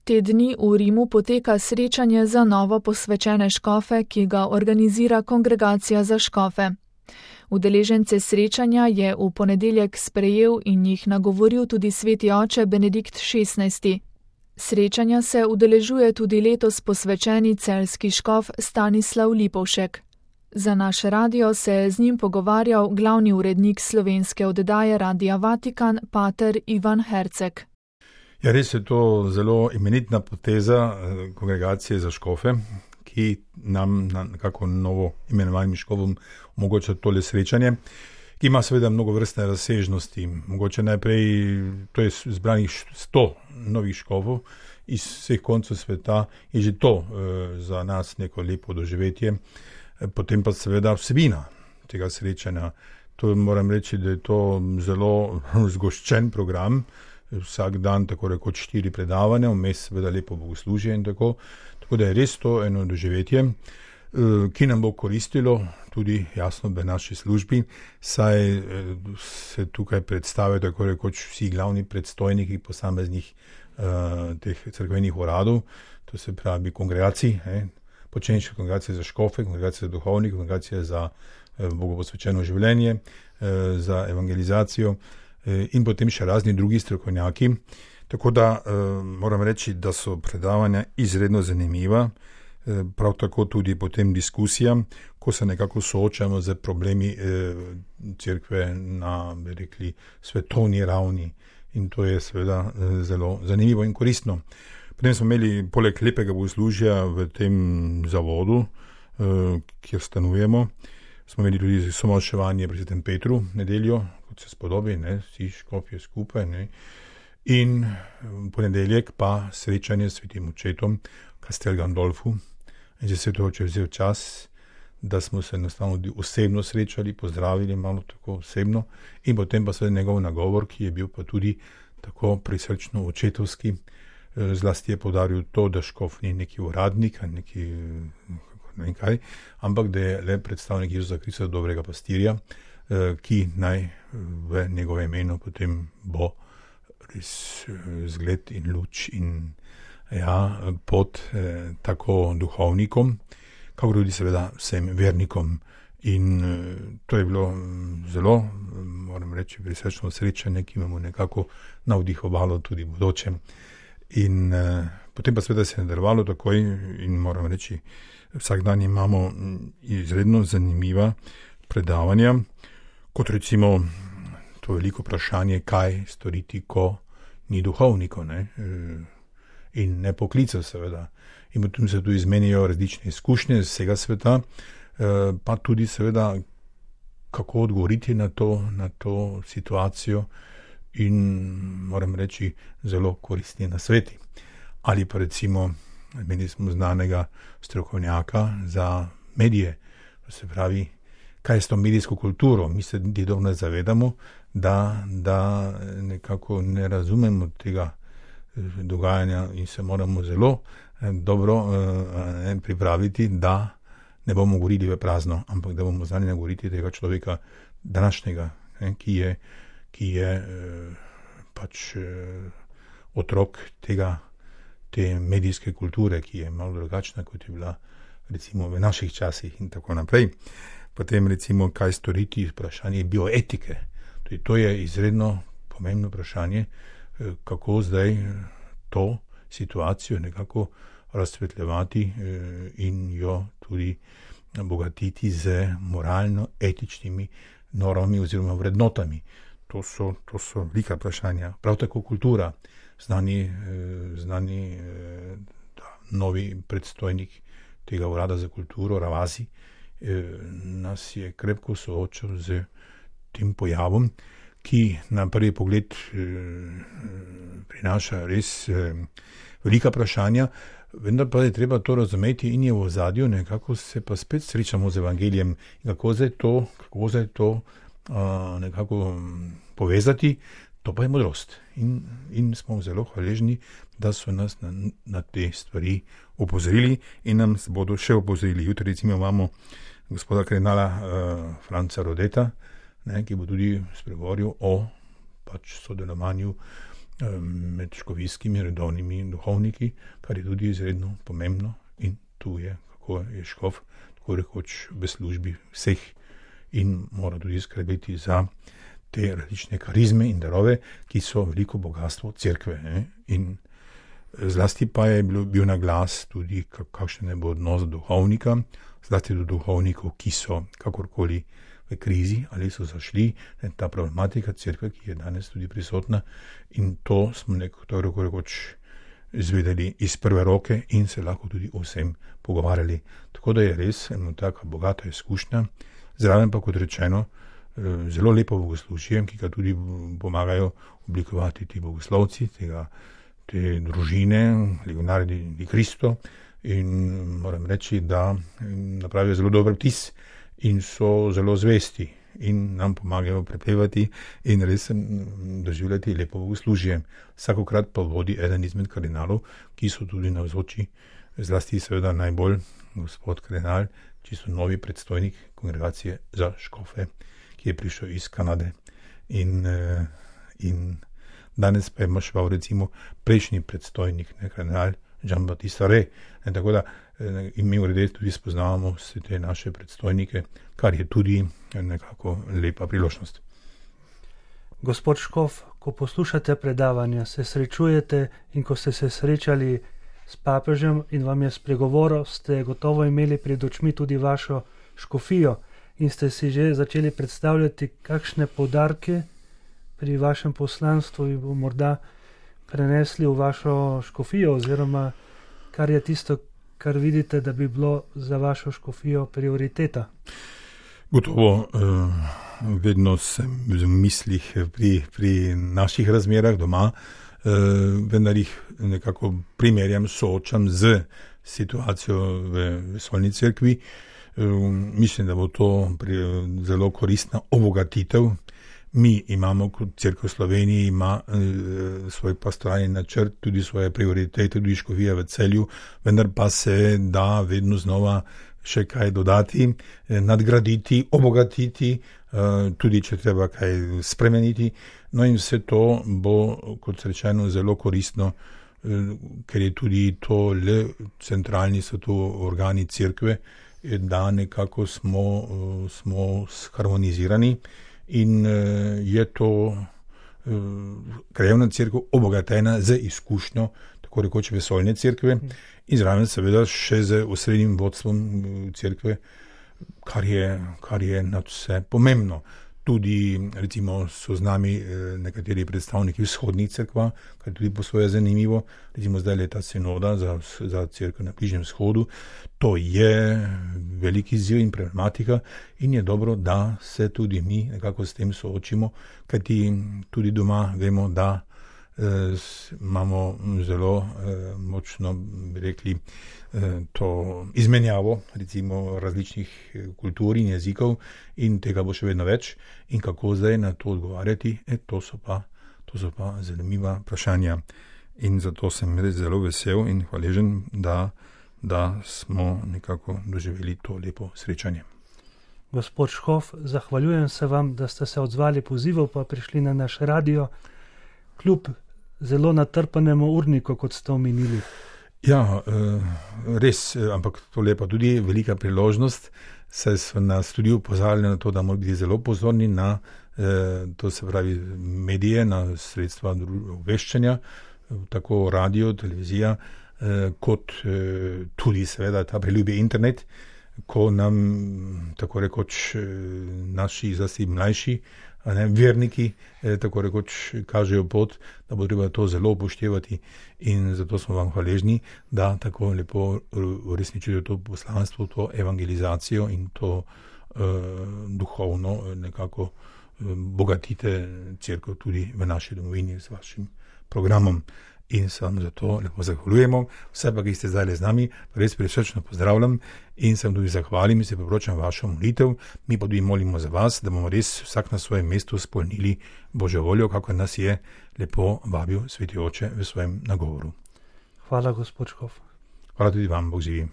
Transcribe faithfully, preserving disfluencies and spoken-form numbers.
Te dni v Rimu poteka srečanje za novo posvečene škofe, ki ga organizira Kongregacija za škofe. Udeležence srečanja je v ponedeljek sprejel in jih nagovoril tudi sveti oče Benedikt šestnajsti. Srečanja se udeležuje tudi letos posvečeni celjski škof Stanislav Lipovšek. Za naš radio se je z njim pogovarjal glavni urednik slovenske oddaje Radia Vatikan, pater Ivan Herceg. Ja, res je to zelo imenitna poteza Kongregacije za škofe, ki nam na nekako novo imenovanim škofom omogoča tole srečanje, ki ima seveda mnogo vrstne razsežnosti. Mogoče najprej, to je zbranih sto novih škofov iz vseh koncev sveta, je že to e, za nas neko lepo doživetje. E, potem pa seveda vsebina tega srečanja. To moram reči, da je to zelo zgoščen program. Vsak dan tako rekoč štiri predavanja, vmes seveda lepo bogoslužje in tako. Tako da je res to eno doživetje, ki nam bo koristilo tudi jasno v naši službi, saj se tukaj predstavijo tako rekoč vsi glavni predstojniki posameznih teh cerkvenih uradov, to se pravi kongregacij, počenjše kongregacije za škofe, kongregacije za duhovnike, kongregacije za bogoposvečeno življenje, za evangelizacijo, in potem še razni drugi strokovnjaki. Tako da eh, moram reči, da so predavanja izredno zanimiva, eh, prav tako tudi potem diskusija, ko se nekako soočamo z problemi eh, cerkve na, bi rekli, svetovni ravni. In to je seveda eh, zelo zanimivo in koristno. Potem smo imeli poleg lepega bogoslužja v tem zavodu, eh, kjer stanujemo, smo imeli tudi somaševanje pri svetem Petru nedeljo, kot se spodobi, ne, vsi škofje skupaj, ne. In v ponedeljek pa srečanje s svetim očetom Castel Gandolfu. In že se to oče vzel čas, da smo se enostavno osebno srečali, pozdravili malo tako osebno, in potem pa seveda njegov nagovor, ki je bil pa tudi tako prisrčno očetovski. Zlasti je poudaril to, da škof ni neki uradnik, neki ne vem kaj, ampak da je le predstavnik Jezusa Krista, dobrega pastirja, ki naj v njegovem imenu potem bo res zgled in luč in ja, pot eh, tako duhovnikom, kako tudi seveda vsem vernikom. In eh, to je bilo zelo, moram reči, prisrčno srečanje, ki imamo nekako navdihovalo tudi bodoče. In eh, potem pa seveda se je nadaljevalo takoj in moram reči, vsak dan imamo izredno zanimiva predavanja, kot recimo to veliko vprašanje, kaj storiti, ko ni duhovnikov, ne? In ne poklicev seveda. In potem se tu izmenijo različne izkušnje z vsega sveta, pa tudi seveda, kako odgovoriti na to, na to situacijo in moram reči, zelo koristni nasveti. Ali pa recimo, imeli smo znanega strokovnjaka za medije, to se pravi, kaj je s to medijsko kulturo. Mi se niti dobro ne zavedamo, da, da nekako ne razumemo tega dogajanja in se moramo zelo dobro eh, pripraviti, da ne bomo govorili v prazno, ampak da bomo znali nagovoriti tega človeka današnjega, ne, ki je, ki je eh, pač eh, otrok tega, te medijske kulture, ki je malo drugačna, kot je bila recimo v naših časih in tako naprej. Potem recimo, kaj storiti, vprašanje bioetike. Tudi to je izredno pomembno vprašanje, kako zdaj to situacijo nekako razsvetljevati in jo tudi bogatiti z moralno-etičnimi normami oziroma vrednotami. To so, to so velika vprašanja. Prav tako kultura. Znani, znani da, novi predstojnik tega urada za kulturo, Ravasi, nas je krepko soočal z tem pojavom, ki na prvi pogled prinaša res velika vprašanja, vendar pa je treba to razumeti in je v ozadju, nekako se pa spet srečamo z evangelijem in kako zdaj to, kako zdaj to a, nekako povezati, to pa je modrost. In, in smo zelo hvaležni, da so nas na, na te stvari opozorili in nam bodo še opozorili. Jutri recimo imamo gospoda kardinala uh, Franca Rodeta, ne, ki bo tudi spregovoril o pač sodelovanju med škofijskimi redovnimi duhovniki, kar je tudi izredno pomembno in tu je, kako je škof tako rekoč v službi vseh in mora tudi skrbeti za te različne karizme in darove, ki so veliko bogatstvo cerkve. Ne? In zlasti pa je bil, bil na glas tudi, kakšen je bo odnos duhovnika, zlasti do duhovnikov, ki so kakorkoli v krizi ali so zašli, ne, ta problematika cerkve, ki je danes tudi prisotna, in to smo nekako rekoč izvedeli iz prve roke in se lahko tudi o vsem pogovarjali. Tako da je res eno taka bogata izkušnja, zraven pa, kot rečeno, zelo lepo bogoslužje, ki ga tudi pomagajo oblikovati ti bogoslovci, tega, te družine, legionari di Cristo, in moram reči, da napravijo zelo dober vtis in so zelo zvesti in nam pomagajo prepevati in res doživljati lepo bogoslužje. Vsakokrat pa vodi eden izmed kardinalov, ki so tudi navzoči, zlasti seveda najbolj gospod kardinal, čisto novi predstojnik kongregacije za škofe, ki je prišel iz Kanade. In, in danes pa je mašval recimo prejšnji predstojnik, ne, kardinal Jean-Baptiste Re. In tako da in mi v redu tudi spoznavamo vse te naše predstojnike, kar je tudi nekako lepa priložnost. Gospod škof, ko poslušate predavanja, se srečujete in ko ste se srečali s papežem in vam je spregovoril, ste gotovo imeli pred očmi tudi vašo škofijo in ste si že začeli predstavljati, kakšne poudarke pri vašem poslanstvu bi bo morda prenesli v vašo škofijo, oziroma kar je tisto, kar vidite, da bi bilo za vašo škofijo prioriteta. Gotovo, vedno sem v mislih pri, pri naših razmerah doma, vendar jih nekako primerjam, soočam z situacijo v vesoljni cerkvi. Mislim, da bo to zelo koristna obogatitev. Mi imamo kot cerkev v Sloveniji, ima e, svoj pastoralni načrt, tudi svoje prioritete, tudi škofija v Celju, vendar pa se da vedno znova še kaj dodati, e, nadgraditi, obogatiti, e, tudi če treba kaj spremeniti. No in vse to bo, kot rečeno, zelo koristno, e, ker je tudi to le centralni so to organi cerkve, e, da nekako smo, e, smo harmonizirani. In uh, je to uh, krajevna cerkev obogatena z izkušnjo, tako rekoč vesoljne cerkve, in zraven seveda še z osrednjim vodstvom cerkve, kar je, kar je nad vse pomembno. Tudi recimo so z nami nekateri predstavniki vzhodnih cerkva, kar je tudi po svoje zanimivo. Recimo zdaj leta sinoda za, za cerkev na Bližnjem vzhodu. To je veliki izziv in problematika in je dobro, da se tudi mi nekako s tem soočimo, kajti tudi doma vemo, da eh, imamo zelo eh, močno, bi rekli, eh, to izmenjavo recimo različnih kultur in jezikov in tega bo še vedno več. In kako zdaj na to odgovarjati, e, to so pa, to so pa zanimiva vprašanja. In zato sem res zelo vesel in hvaležen, da da smo nekako doživeli to lepo srečanje. Gospod škof, zahvaljujem se vam, da ste se odzvali pozivov, pa prišli na naš radio, kljub zelo natrpanemu urniku, kot ste omenili. Ja, res, ampak to je pa tudi velika priložnost, saj so nas tudi upozorili na to, da moramo biti zelo pozorni na, to se pravi, medije, na sredstva obveščanja, tako radio, televizija, kot tudi seveda ta priljubi internet, ko nam tako rekoč naši zlasti mlajši, ne, verniki tako rekoč kažejo pot, da bo treba to zelo upoštevati in zato smo vam hvaležni, da tako lepo uresničujejo to poslanstvo, to evangelizacijo in to uh, duhovno nekako uh, bogatite cerkev tudi v naši domovini s vašim programom. In se vam za to lepo zahvaljujemo. Vse pa, ki ste zdaj z nami, res prisrčno pozdravljam in se vam tudi zahvalim in se priporočam vašo molitev. Mi pa tudi molimo za vas, da bomo res vsak na svojem mestu izpolnili Božjo voljo, kako nas je lepo vabil Sveti Oče v svojem nagovoru. Hvala, gospod škof. Hvala tudi vam, Bog živi.